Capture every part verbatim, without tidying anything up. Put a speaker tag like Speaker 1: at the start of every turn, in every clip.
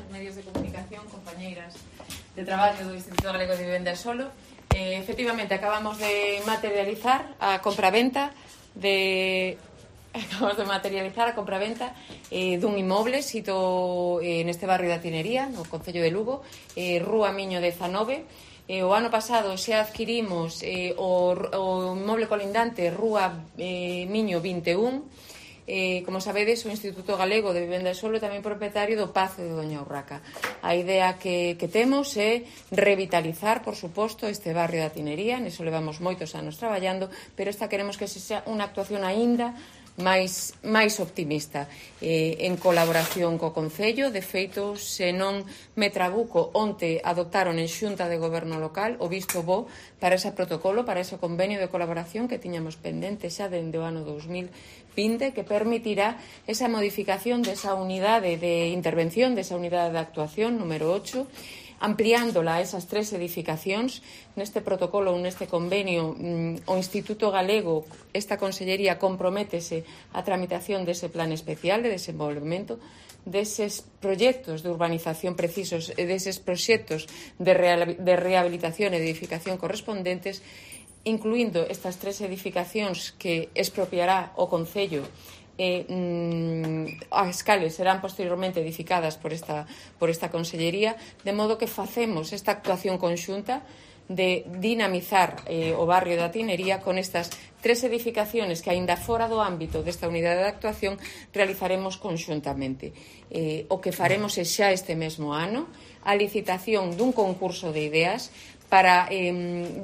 Speaker 1: medios de comunicación, compañeiras de traballo do Instituto Galego de Vivenda e Solo. Eh, efectivamente, acabamos de materializar a compraventa de... Acabamos de materializar a compraventa eh, dun inmoble sito eh, neste barrio da Tinería, no Concello de Lugo, eh, Rúa Miño dezanove. Eh, o ano pasado xa adquirimos eh, o, o inmoble colindante Rúa eh, Miño vinte e un. Eh, como sabedes, o Instituto Galego de Vivenda e Solo é tamén propietario do Pazo de Doña Urraca. A idea que, que temos é revitalizar, por suposto, este barrio da Tinería. Niso levamos moitos anos traballando, pero esta queremos que se sea unha actuación aínda máis, máis optimista, eh, en colaboración co Concello. De feito, se non me trabuco, onte adoptaron en Xunta de Goberno Local o visto bo para ese protocolo, para ese convenio de colaboración que tiñamos pendente xa dende o ano dous mil vinte, que permitirá esa modificación desa unidade de intervención, desa unidade de actuación número ocho, ampliándola a esas tres edificacións. Neste protocolo, neste convenio, o Instituto Galego, esta Consellería, comprométese a tramitación dese plan especial de desenvolvemento, deses proxectos de urbanización precisos e deses proxectos de rehabilitación e de edificación correspondentes, incluindo estas tres edificacións que expropiará o Concello. Eh, mm, as cales serán posteriormente edificadas por esta, por esta Consellería, de modo que facemos esta actuación conxunta de dinamizar eh, o barrio da Tinería con estas tres edificaciones que, aínda fora do ámbito desta unidade de actuación, realizaremos conxuntamente. Eh, o que faremos é xa este mesmo ano a licitación dun concurso de ideas para eh,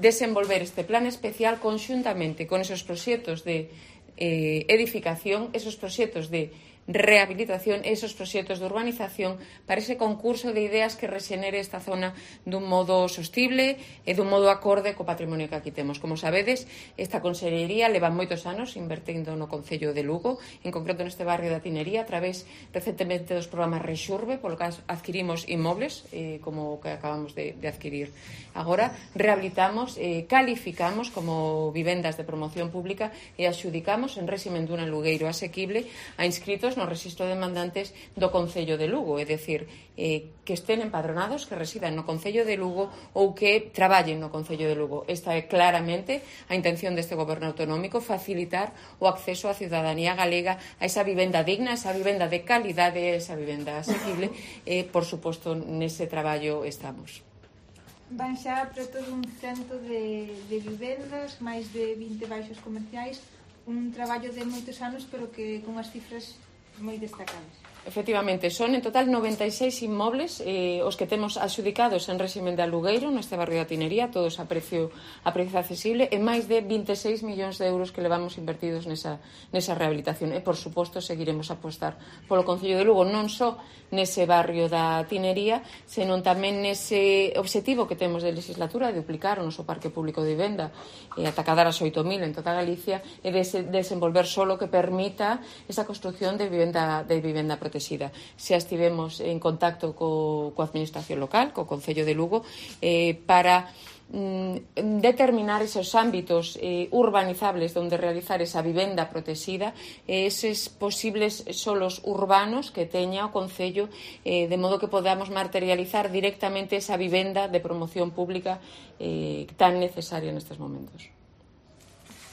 Speaker 1: desenvolver este plan especial conxuntamente con esos proxectos de Eh, edificación, esos proxectos de rehabilitación, esos proxectos de urbanización, para ese concurso de ideas que rexenere esta zona dun modo sostible e dun modo acorde co patrimonio que aquí temos. Como sabedes, esta Consellería leva moitos anos invertindo no Concello de Lugo, en concreto neste barrio da Tinería, a través recentemente dos programas Rexurbe, polo que adquirimos inmobles, eh, como o que acabamos de, de adquirir. Agora rehabilitamos, eh, calificamos como vivendas de promoción pública e axudicamos en réximen dun alugueiro asequible a inscritos no rexistro de demandantes do Concello de Lugo, é dicir, eh, que estén empadronados, que residan no Concello de Lugo ou que traballen no Concello de Lugo. Esta é claramente a intención deste Goberno autonómico, facilitar o acceso á ciudadanía galega a esa vivenda digna, a esa vivenda de calidade, a esa vivenda asequible. E, eh, por suposto, nese traballo estamos.
Speaker 2: Van xa preto dun cento de, de vivendas, máis de vinte baixos comerciais, un traballo de moitos anos, pero que con as cifras moi destacadas.
Speaker 1: Efectivamente, son en total noventa e seis inmobles eh, os que temos adxudicados en réximen de alugueiro neste barrio da Tinería, todos a precio, a precio accesible, e máis de vinte e seis millóns de euros que levamos invertidos nesa, nesa rehabilitación. E, por suposto, seguiremos a apostar polo Concello de Lugo, non só nese barrio da Tinería, senón tamén nese objetivo que temos de legislatura de duplicar o noso parque público de vivenda e ata cadar as oito mil en toda Galicia, e de desenvolver solo que permita esa construcción de vivenda, de vivenda protegida. Xa estivemos en contacto co, coa administración local, co Concello de Lugo, eh, para mm, determinar esos ámbitos eh, urbanizables onde realizar esa vivenda protegida, eh, eses posibles solos urbanos que teña o Concello, eh, de modo que podamos materializar directamente esa vivenda de promoción pública eh, tan necesaria nestes momentos.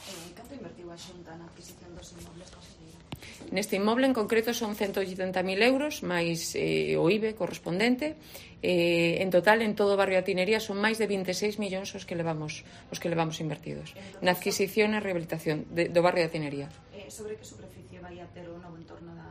Speaker 3: Eh, canto invertiu a Xunta na adquisición dos inmobles, conselleira?
Speaker 1: Neste inmoble en concreto son ciento oitenta mil euros máis eh, o I B E correspondente. Eh, en total, en todo o barrio da Tinería son máis de vinte e seis millóns os que levamos os que levamos invertidos na adquisición e rehabilitación de, do barrio da Tinería.
Speaker 3: Eh, sobre que superficie vai a ter o novo entorno da,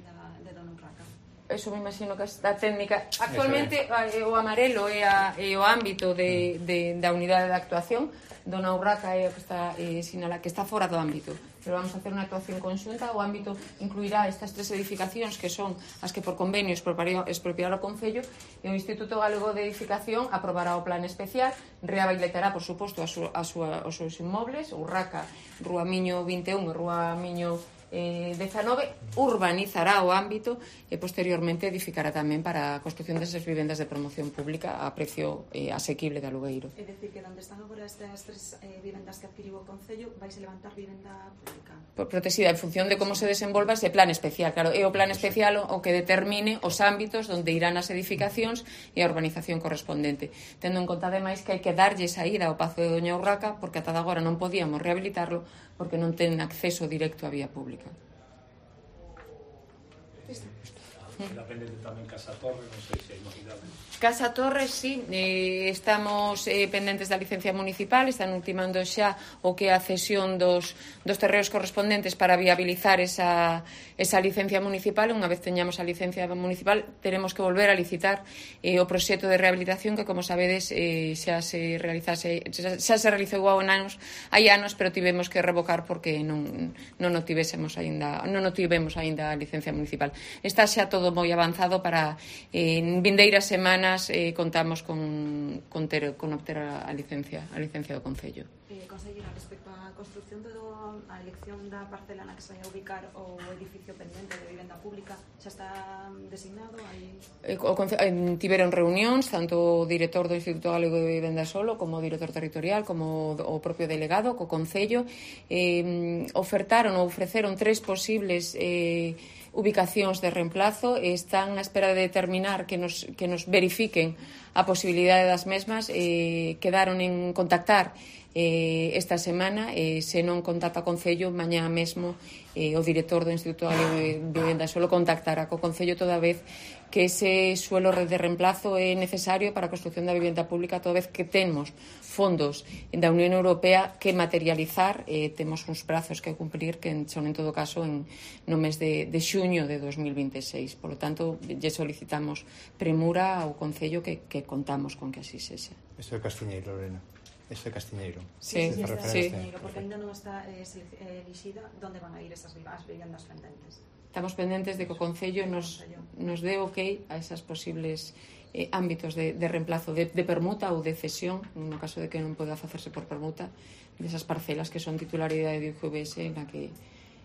Speaker 3: da, de Dona Urraca?
Speaker 1: Eso me imagino que a técnica actualmente é o amarelo é, a, é o ámbito de, de, da unidade de actuación. Dona Urraca é o que está eh, sinala, que está fora do ámbito, pero vamos a hacer unha actuación conxunta. O ámbito incluirá estas tres edificacións que son as que por convenio expropiará o Concello, e o Instituto Galego de Edificación aprobará o plan especial, rehabilitará, por suposto, a súa, a súa, os seus inmobles, Urraca, Rúa Miño vinte e un e Rúa Miño dezanove urbanizará o ámbito e posteriormente edificará tamén para a construción desas vivendas de promoción pública a precio eh, asequible de alugueiro.
Speaker 3: É dicir, que onde están agora estas tres eh, vivendas que adquiriu o Concello vais a levantar vivenda pública?
Speaker 1: Por protexida en función de como se desenvolva ese plan especial. Claro, é o plan especial o que determine os ámbitos onde irán as edificacións e a urbanización correspondente. Tendo en conta ademais que hai que darlle saída ao Pazo de Doña Urraca porque ata agora non podíamos rehabilitarlo porque non ten acceso directo á vía pública.
Speaker 4: Queda pendente tamén Casa Torre, non sei se hai novidades.
Speaker 1: Casa Torres, sí, eh, estamos eh, pendentes da licencia municipal, están ultimando xa o que é a cesión dos, dos terreos correspondentes para viabilizar esa, esa licencia municipal. Unha vez teñamos a licencia municipal, teremos que volver a licitar eh, o proxecto de rehabilitación que, como sabedes, eh, xa se realizase, xa, xa se realizou há anos, hai anos, pero tivemos que revocar porque non, non o tivésemos aínda, non o tivemos aínda a licencia municipal. Está xa todo moi avanzado para eh, en vindeiras semanas Eh, contamos con, con, ter, con obter a, a licencia a licencia do Concello.
Speaker 3: Eh, Consellera, respecto á construcción do, a elección da parcela na que se vai a ubicar o edificio pendente de vivenda pública, xa está designado? Hai...
Speaker 1: Eh, o, eh, tiveron reunións tanto o director do Instituto Galego de Vivenda Solo como o director territorial como o propio delegado co Concello, eh, ofertaron ou ofreceron tres posibles eh, ubicacións de reemplazo e están á espera de determinar que nos, que nos verifiquen a posibilidade das mesmas. Eh, quedaron en contactar eh, esta semana e eh, se non contacta o Concello mañá mesmo eh, o director do Instituto de Vivenda Solo contactará co Concello toda vez que ese suelo de reemplazo é necesario para a construción da vivenda pública, toda vez que temos fondos da Unión Europea que materializar, eh, temos uns prazos que cumprir que son en todo caso en, no mes de, de xuño de dos mil veintiséis. Por lo tanto, lle solicitamos premura ao Concello que, que contamos con que así sexa.
Speaker 5: Isto é Castiñeiro, Lorena. Isto é Castiñeiro.
Speaker 1: Sí,
Speaker 3: sí,
Speaker 1: sí.
Speaker 3: sí. Porque ainda non está eh, elixida onde van a ir esas vivendas pendentes.
Speaker 1: Estamos pendentes de que o Concello nos, nos dé ok a esas posibles eh, ámbitos de, de reemplazo de, de permuta ou de cesión, no caso de que non poda facerse por permuta, desas parcelas que son titularidade de U G V S na que,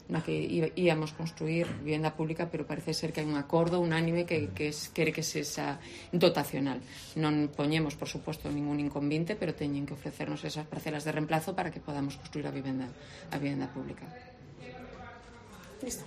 Speaker 1: na que íamos construir vivenda pública, pero parece ser que hai un acordo unánime que, que es, quere que se esa dotacional. Non poñemos, por suposto, ningún inconvinte, pero teñen que ofrecernos esas parcelas de reemplazo para que podamos construir a vivenda, a vivenda pública.
Speaker 3: Listo.